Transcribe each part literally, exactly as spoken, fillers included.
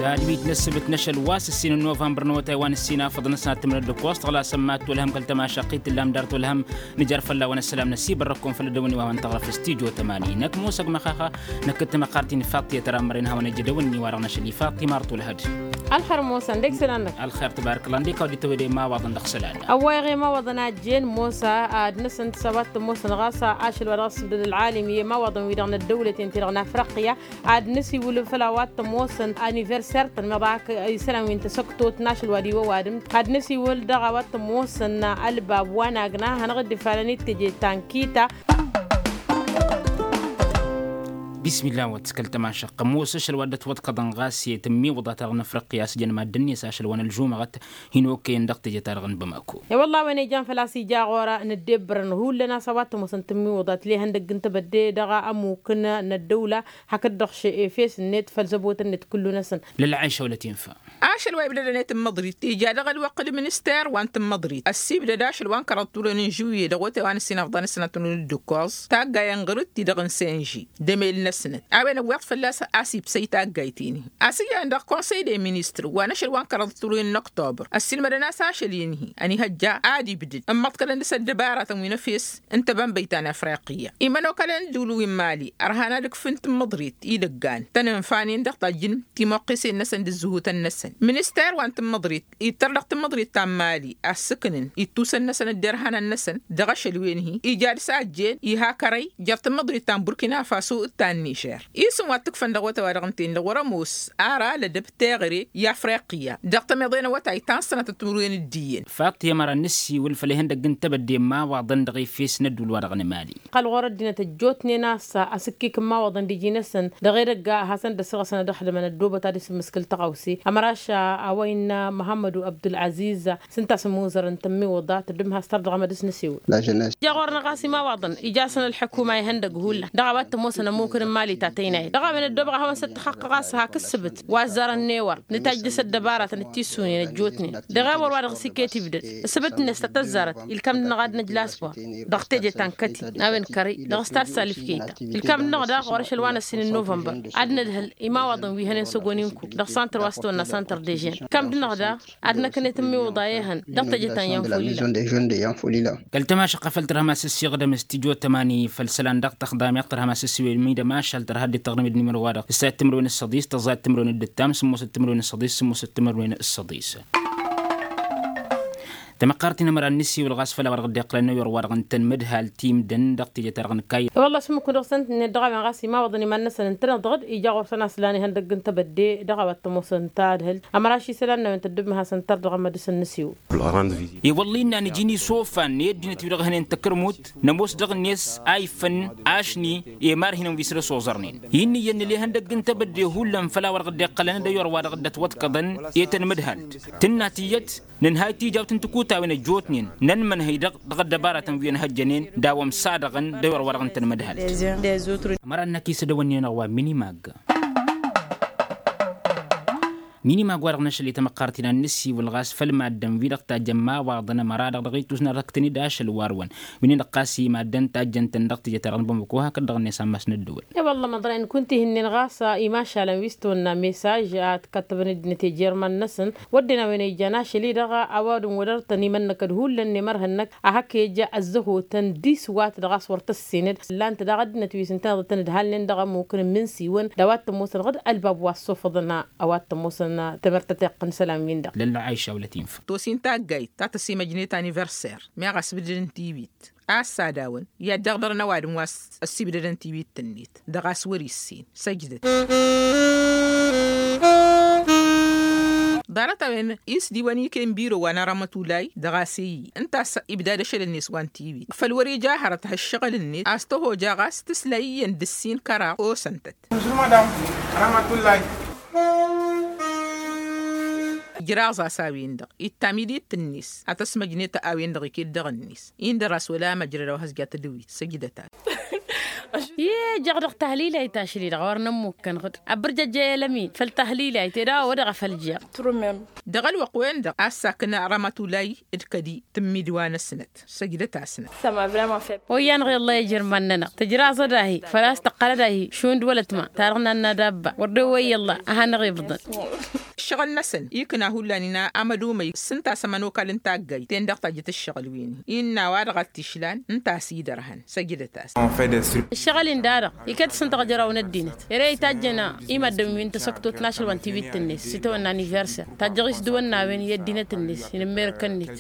Tadbit n-ăssǝbǝt n-ašăl wa s-ǝssin n-novămbăr n-awătay wa n-ǝssin afăḍăn ăsnat timǝrăt d-ǝkkoẓ tăɣla sămmat tolhăm kăl-tămašăqqit tǝllam dar tolhăm. Nǝjar fălla-wăn ăssălam năsibărrăkkum făll-ăddăwăn iwawăn tăɣrăf s-tijo tămani năkk musăg măxaxa. Năkk d-tamăqqart-in faṭṭiyăt ărammăren hawăn-ăjjădăwăn-ni wa-dăɣ n-ašăl ifaṭṭi martul hăd. Ălxer musăn dek sălan-năk. Ălxer tăbarăkălla ǝndek a-wa dd-tăwăde imawaḍăn dăɣ-isălan. Ăwwayăɣ imawaḍăn a ăjjeen musa ad-năsăn d-săbat tămoosăn ɣas ašăl wa dăɣ-s ǝbdăd ălɣalim i-imawaḍăn wi-dăɣ n-ăddăwlăten ti-dăɣ n-afriqya. Ad-năsiwǝl făll-a-wa t-ămoosăn aniverser-tăn meḍak isălan wi n-tasăktot n-ašăl wa d-iwăwadǝm. Ad-năsiwǝl dăɣ-a-wa t-ămoosăn ălbab wa n-agna hanăɣ-dd-ifalăn i-teje ta n-kita. Bismillah wăt kăl-tămašăq ămoos ašăl wa dd-ătwăḍkăḍăn ɣas i-tǝmmiwǝḍa-ta-dăɣ n-afriqya a-s jăn maddǝn-net ašăl wa n-ălžumăɣăt. Hin-okăyăn dăɣ-teje-ta-dăɣ n-bamako. I-wălla a-wen ijan făl-a-s ija ɣur-nǝddebbărăn hullan a-s a-wa t-ămoosăn tǝmmiwǝḍa tǝlehăn dăgg-n tebădde dăɣ-ămmuk n-ăddăwla. Hakd-dăɣ efes-net făll-zăbot-net kullu-năsăn. Lălɣayša wăla tinfa. Ašăl wa ibdădăn i-tǝmmăḍrit ija dăɣ-ălwăqq d-minister wa n-tǝmmăḍrit ăssibdăd ašăl wa n-kăraḍ turăn n-žuwye dăɣ-otay wa n-ǝssin afḍăn s-sănatăn d-ǝkkoẓ. Taggay ănɣărǝt-ti-dăɣ n-senži d-emel-năsnăt a-wen ăwweḍ fălla-s a-s ibsăy taggayt-in-hi. A-s iyyăn dăɣ-konsăy de ministr wa n-ašăl wa n-kăraḍ turăn n-ăktobăr ăssiilmădăn a-s ašăl-in-hi. Ănihăjja ad-ibdǝd ǝmmăḍkălăn dăɣ-s ăddăbaratăn wi n-efes n-tebănbăyt ta n-afriqya. Imănokălăn d-ul wi n-mali ărhan ad-ǝkfǝn tǝmmǝḍrit idăggan tănănfa-nin dăɣ-tajjǝn timăqqesen-năsăn d-ǝzzǝhutăn-năsăn. Minister wa n-tǝmmǝḍrit ittăr dăɣ-tǝmmǝḍrit ta n-mali a ǝssǝknǝn ittusăn-năsăn d-derhanăn-năsăn dăɣ-ašăl-wen-hi ija d-sajjen iha kărăy jer-tǝmmǝḍrit ta n-burkina faso d-ta n-nižer. Isǝm wa t-ǝkfăn dăɣ-awătay wa dăɣ-ǝnta-in-dăɣ wăr-ămoos ara lădăb teɣăre i-afriqya dăɣ-tămiḍe n-awătay ta n-sănatăt timǝrwen d-iyyăn. Faṭ i-ămăra n-nǝssiwǝl făll-ihăndăgg n-tebădde n-imawaḍăn dăɣ-efes n-ădduul-wa-dăɣ n-emali. Ăqqăl ɣur-ăddinăt ăjjootnen a-s asǝkkik n-imawaḍăn d-iji-năsăn dăɣ-edăgg a hasăn-dd-ăsrăsăn ad-ăxdǝmăn ăddoobăt ad-isǝmmǝskǝl tăɣawse. Ămăraš a-wa innă măhămmădu abdul-aziz s-ǝnta a-s ămuzărăn tămmiwǝḍa tăddǝmhas tărdăɣăm ad-dăɣ-s nǝsiwǝl. Ija ɣur-năɣ a-s imawaḍăn ija-săn ălḥukuma ihăndăgg hullan dăɣ-a-wa t-ămoosăn ămmukǝn n-imali ta tăynayăt dăɣ-a-wen ăddoobăɣ ad-hawăn-săt-tăxăqqăɣ a-s hak ǝssǝbǝt wa ăzzarăn n-ewăr. Nǝtajjăs ăddăbaratăn d-tissunen ăjjootnen dăɣ-ewăr wa dăɣ-s iket ibdăd ǝssǝbǝt-net ta tăzzarăt ilkam-dăɣ ad-năj lasbor dăɣ-teje ta n-kăti. A-wen kărăy dăɣ-s ta d-salǝfkeyta ilkam-dăɣ daɣ ɣur-ašăl wa n-ăssin n-novămbăr ad-nădhǝl imawaḍăn wi hănen s-ăggon-in-ku dăɣ-santăr wa s-tăwănna santăr dežen. Ilkam-dăɣ daɣ ad-năknet ămmiwǝḍa i-hăn dăɣ-teje ta n-yanfulila. Kăl-tămašăqqa făll-tărhăm a-s ǝssiɣdăm s-tijo tămani făll-isălan dăɣ-tăxdam i-ad-tărhăm a-s ǝssiwǝl imidăm ašăl tărha dd-tăɣrǝm d-nimăro-wa-dăɣ s-ad-timǝrwen s-săḍis tăẓẓa d-timǝrwen d-ǝttam sǝmmosăt timǝrwen s-săḍis sǝmmosăt timǝrwen s-săḍis. Tamăqqart-in ămăra n-nǝsiwǝl ɣas făll-a-wa dăɣ-dd-iqqălăn n-ewăr wa dăɣ-ǝntăn mǝdhal timdăn dăɣ-teje-ta-dăɣ n-kayy. Wălla-s ǝmmǝk-wăn dăɣ-săn-tǝnnet dăɣ-a-wen ɣas imawaḍăn iman-năsăn ǝntăneḍ-dăɣ-dd ija ɣur-săn a-s lan ihăndăgg n-tebădde dăɣ-a-wa t-ămoosăn tadhǝlt. Ămăra ašisălan n-a-wen tăddǝbmăhasăn tăr dăɣ-emădǝs n-nǝsiwǝl. Wălla innă nǝji n-isofan i-ăddinăt-wi-dăɣ hănen tăkărmut nămoos dăɣ-net a iffăn ašni i-imarhinăn wi săr-ăsoẓărnen. Innă iyyăn nǝla ihăndăgg n-tebădde hullan făll-a-wa dăɣ-dd-iqqălăn d-ewăr wa dăɣ-dd-ătwăḍkăḍăn i-tăn-mǝdhalt. Tǝnna tiyyăt nǝnhay tija wa t-nǝtǝkuta-wen ăjjootnen nănmănhăy-dăɣ dăɣ-ăddăbaratăn wi ănhăjjănen d-a-wa ămsadăɣăn d-ewăr wa dăɣ-ǝntăn mǝdhalt. Ămăra ănnăk isădăwănnen-dăɣ wa minimag. Minimag wa-dăɣ n-ašăl i-tamăqqart-in ad-nǝsiwǝl ɣas făll-maddǝn-wi-dăɣ tajjăn imawaḍăn ămăra-dăɣ dăɣ-ittus n-ad-ăkk tăn-dd ašăl war-wăn. Wi-nin-dăɣ ɣas i-maddǝn tajjăn-tăn dăɣ-teje-ta-dăɣ n-bamako hakd-dăɣ-net ammas n-ăddăwăl. I-wălla măḍrăyăn kunta ihǝnnen ɣas imašalăn wi s-tăwănna mesaj ad-kattăbăn ăddinăt i-jerman-năsăn. Wădden a-wen a ijan ašăl-i-dăɣ a-wa dăɣ-wăr-tăn imănnăkăd hullan n-emărhăn-năk a hak-ija ăzzăhotăn diswat dăɣ-a-s wăr tăssinăd. Ǝllan-t daɣ ăddinăt wi s-ǝntăneḍ ad-tăn-ǝdhalnen dăɣ-ămmukăn n-imǝnsiwăn d-a-wa t-ămoosăn ɣǝd ălbab wa ăssofăḍăn a-wa t-ămoosăn. Tămărt tăteɣt n-isălan-win-dăɣ. Lălla ayiša wăla tinfa. Tos-in taggayt ta tăsimăjnet aniverser meɣ ăsbǝdăd n-tiwit a-s ad-awăn i-ad-dăɣ-dărăn ăwadǝm wa s-ăssibdădăn tiwit-net dăɣ-a-s wăr-issin săjdăt. Ḍarăt-a-wen isdiwăn iken biro wa n-arămătulay dăɣ-a-s i-ǝnta a-s ibdad ašăl-net wa n-tiwit făl wăr-ija hărăt ha ǝššăɣǝl-net a-s tăhoja ɣas tǝsla iyyăn d-ǝssin kăraɣ osăn-tăt. Măšruma dam. Arămătulay. Ǝjraẓ-as a-wen-dăɣ ittam idit-net ad-tăsmăjnet a-wen-dăɣ iket dăɣ-net indăr-as wăla măjrăd a-wa has-ja tadǝwit săjdăt-as. I-ejăɣ dăɣ-tahlilayt ašli-dăɣ wăr nămmukkăn ɣǝd. Ăbbărjăjja i-elămin făll-tahlilayt ed a-wa wădăɣ a făl jăɣ. Dăɣ-ălwăqq-wen-dăɣ a-s sakna rămătulay d-kădi tǝmmid wa n-ăsnăt. Săjdăt-asnăt. Oyyan ɣǝy ălla ijrǝm ad-nănăɣ tǝjraẓ ad-ahi făl-a-s tăqqăl ad-ahi šund wăla tǝma ta dăɣ-nanna dabba wăr d-ewăyy ălla a hanăɣ-ibḍăn. Ǝššăɣǝl-năsăn ikna hullan ina amădumăy s-ǝnta a-s ămănokal n-taggayt-ten-dăɣ tajjăt ǝššăɣǝl wi-ni innă a-wa-dăɣ a t-išlan ǝnta a-s idărhăn. Săjdăt-as. Ǝššăɣǝl-in da-dăɣ iket s-ǝnta ɣǝjraw n-ăddinăt ere itajjăn i-maddǝm wi n-tasăktot n-ašăl wa n-tibitt-net s-itawănna aniverser tajjăɣ-i s-dăwănnawen i-ăddinăt-net. Inǝmmerăk-net.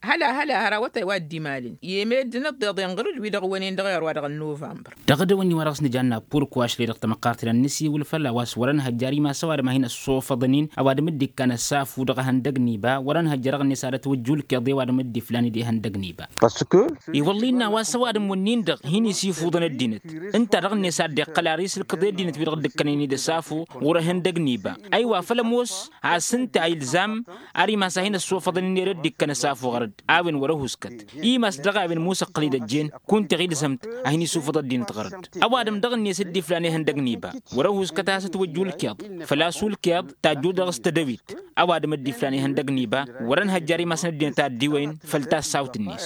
Hăla hăla hăr awătay wa dd-imalăn i-emeddǝn ǝḍḍeḍen ɣǝr-dd wi-dăɣ ǝwwănen dăɣ-iɣăr wa dăɣ-novămbăr. Dăɣ-edăwănni-wa-dăɣ s-nǝjanna purkwa ašlăy dăɣ-tamăqqart-i-dăɣ n-nǝsiwǝl fălla-wa s-wărăn hăjjar imas ăwadǝm a hin-ăssofăḍăn-in ăwadǝm dd-ikkan ăsafu dăɣ-ehăndăg n-iba wărăn hăjjar dăɣ-net ad-ătwǝjjul kiḍe ăwadǝm dd-iflan d-ehăndăg n-iba. I-wălla innă a-wa s-ăwadǝm-wǝnnin-dăɣ hin-isifuḍăn ăddinăt ǝnta dăɣ-net a dd-iqqăl ar isǝlkǝḍ i-ăddinăt wi-dăɣ dd-ǝkkănen-dd ăsafu ɣur-ehăndăg n-iba. Aywa făl ămoos a-s ǝnta a ilzam ar imas a hin-ăssofăḍăn-in ere dd-ikkăn ăsafu ɣăr-dd a-wen wăr-ăhuskăt. Imas dăɣ-a-wen musăqqăl-dd ăjjeen kunta iɣilzăm-t a hin-isufăḍ ăddinăt ɣăr-dd. Ăwadǝm dăɣ-net dd-iflan ihăndăg n-iba wăr-ăhuskăt a-s ătwăjju ǝlkeḍ făl-a-s ulkeḍ tajju dăɣ-s tădăwit. Ăwadǝm dd-iflan ihăndăg n-iba wăr-ănhăjjar imasăn ăddinăt a dd-iwăyăn făll-tassawt-net.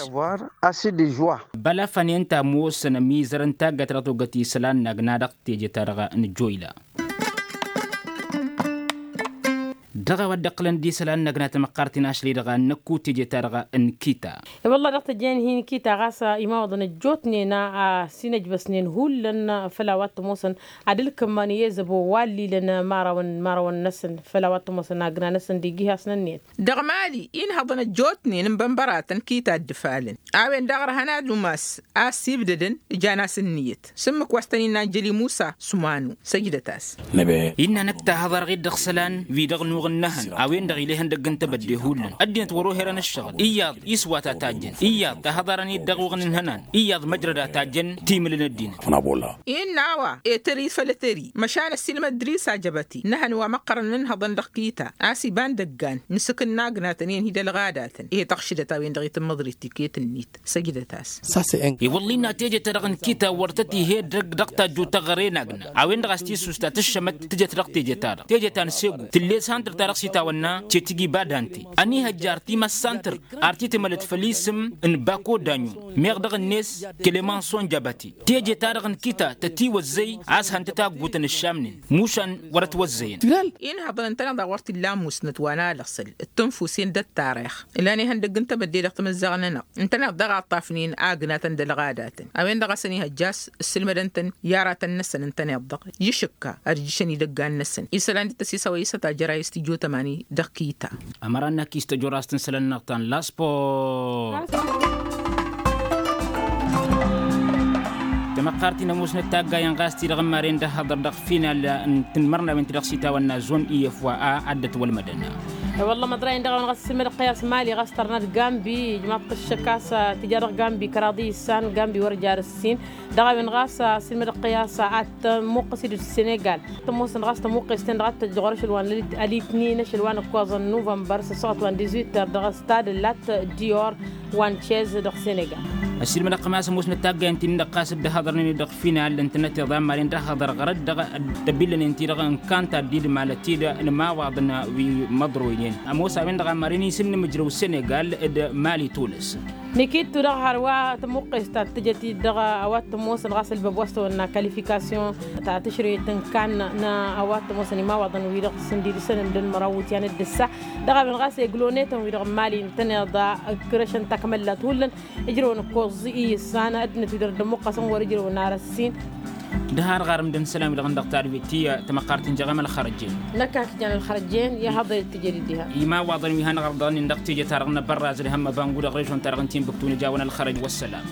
Bălăfăn i-ǝnta ămoosăn ămizărăn taggayt-ta-dăɣ togăt isălan n-agna dăɣ-teje-ta-dăɣ n-ăjjoyla. Dăɣ-a-wa dd-ǝqqǝlăn d-isălan n-agna tamăqqart-in ašli-dăɣ a n-năkku teje-ta-dăɣ n-kita. I-wălla dăɣ-tejăyăn hin-kita ɣas imawăḍăn ăjjootnen a s-inăjbăsnen hullan făll-a-wa t-ămoosăn ad-ǝlkǝmmăn i-ezăbo wa ăllilăn imărawăn imărawăn-năsăn făll-a-wa t-ămoosăn agna-năsăn d-iji hasnăn-net. Dăɣ-mali inhăḍăn ăjjootnen n-bănbăratăn kita dd-ǝfalăn a-wen daɣ ărhăn ad-umas a ăssibdădăn ǝjan-as ǝnniyăt s-ǝmmǝk wa s-tăn-innă anjăli musa s-umanu. Săjdăt-as. Innă năkk tahăḍarăɣ-dd dăɣ-isălan wi-dăɣ nuɣ ǝnnăhăn a-wen-dăɣ ila ihăndăgg n-tebădde hullan ăddinăt wăr-ohărăn ǝššăɣǝl iyyăḍ iswat a tajjăn iyyăḍ tahăḍarăn-dd dăɣ-uɣǝn n-ihănan iyyăḍ măjrăd a tajjăn timǝl n-ăddinăt. Innă a-wa etări făll-etări măšan ăssiilmăd dris a jăbăti n-ehăn wa măqqărăn ǝnhăḍăn dăɣ-kita a-s iba n-dăggan n-isǝkǝn n-agnatăn i-ănhidălɣadatăn i-tăɣšǝdăt a-wen-dăɣ itǝmmăḍrit tiket-net. Săjdăt-as. I-wălla innă teje-ta-dăɣ n-kita wăr tăt-ih'-e dăgg dăɣ-tajjut taɣăre n-agna a-wen-dăɣ a-s tissust ta tǝššămăt tǝjăt dăɣ-teje-ta-dăɣ teje ta n-segu tǝllet santăr-ta-dăɣ s-itawănna cetigi badante. Ănihăjjar timass santăr ar t-itmălăt făll-isǝm n-bako daɲun meɣ dăɣ-net kelemanson jabăti. Teje-ta-dăɣ n-kita tătiwăzzăy a-s hăn-tătaggutăn ǝššamnen mušan wăr-ăt wăzzăyăn. Inhăḍăn ǝntăneḍ a wăr t-illa amusnăt wa n-alăɣsăl d-tǝnfusen d-ăttarix. Ǝlan ihăndăgg n-tebădde dăɣ-timǝzzaɣ-nănăɣ ǝntăneḍ daɣ a ǝṭṭafnen agnatăn d-ălɣadatăn a-wen-dăɣ a-s ănihăjja a-s ǝssǝlmădăn-tăn i-aratăn-năsăn ǝntăneḍ-dăɣ. Išǝkka ad-ǝjjǝšăn idăggan-năsăn isălan dd-tăsisăwăy s-ătajjăr a-s tijot ămani dăɣ-kita. Ămăra n-ak-istăjor a-s tǝnsălăn-năɣ ta n-laspor. Tamăqqart-in ămoosnăt taggayen ɣas ti-dăɣ n-maren d-ăhhăḍăr dăɣ-final n-tǝnmărnawen ti-dăɣ s-itawănna zon i-efwa a ad-dd-ătwălmădăn. I-wălla măḍrăyăn dăɣ-a-wen ɣas s-ilmădăɣ-t i-a-s mali ɣas tărnăt gambi ijmaḍ-t ǝššăk a-s tija dăɣ-gambi kăraḍ i-issan gambi wăr jar ǝssin. Dăɣ-a-wen ɣas s-ilmădăɣ-t i-a-s ad-tămuqqăs-dd s-senegal. Tămoosăn ɣas tămuqqes-ten-dăɣ ad-tăjj ɣur-ašăl wa n-alitnin ašăl wa n-ǝkkoẓăn nuvămbăr s-ăssuɣăt wa n-dizuit tăr dăɣ-s tadǝllat dior wa n-cez dăɣ-senegal. Ăssiilmădăɣ-tăm a-s ămoosnăt taggayen-ti-nin-dăɣ ɣas dd-ăhhăḍărnen-dd dăɣ-final ǝntănăt iḍa n-maren d-ăhhăḍăr ɣărăt dăɣ-tăbillănen-ti-dăɣ n-kanta dd-idmalăt-dd n-imawaḍăn wi măḍroynen. Ămoos a-wen-dăɣ a maren isǝnnǝmǝjrăw senegal d-mali tules. Nikittu dăɣ-hărwa tămuqqes ta t-tǝjăt-dd dăɣ-a-wa t-ămoosăn ɣas ălbăb wa s-tăwănna kalifikasyon ta tǝšrǝyăt n-kan n-a-wa t-ămoosăn imawaḍăn-wi-dăɣ sǝndidǝsăn ǝmdăn măraw iwǝtyan d-ǝssa. Dăɣ-a-wen ɣas eglonetăn-wi-dăɣ n-mali ǝntăneḍ ǝkrăšăn takmăllat hullan. Ǝjrăwăn ǝkkoẓ i-issan ăddinăt-wi-dăɣ dd-ămmuqqăsăn wăr-ǝjrăwăn ar ăssin. D-har ɣarăm d-ănn isălan-wi-dăɣ n-dăɣ tadwit ti tamăqqart n-jeɣăm ălxărăjjen. Năkk a k-jan ălxărăjjen i-haḍăyăt tijed-dd diha. Imawaḍăn wi hanăɣ-ărḍăɣnen dăɣ-teje-ta-dăɣ n-abărraz d-hămmăbangu dăɣ-režon-ta-dăɣ n-timbuktu nǝja-wăn ălxărăj wăssălam.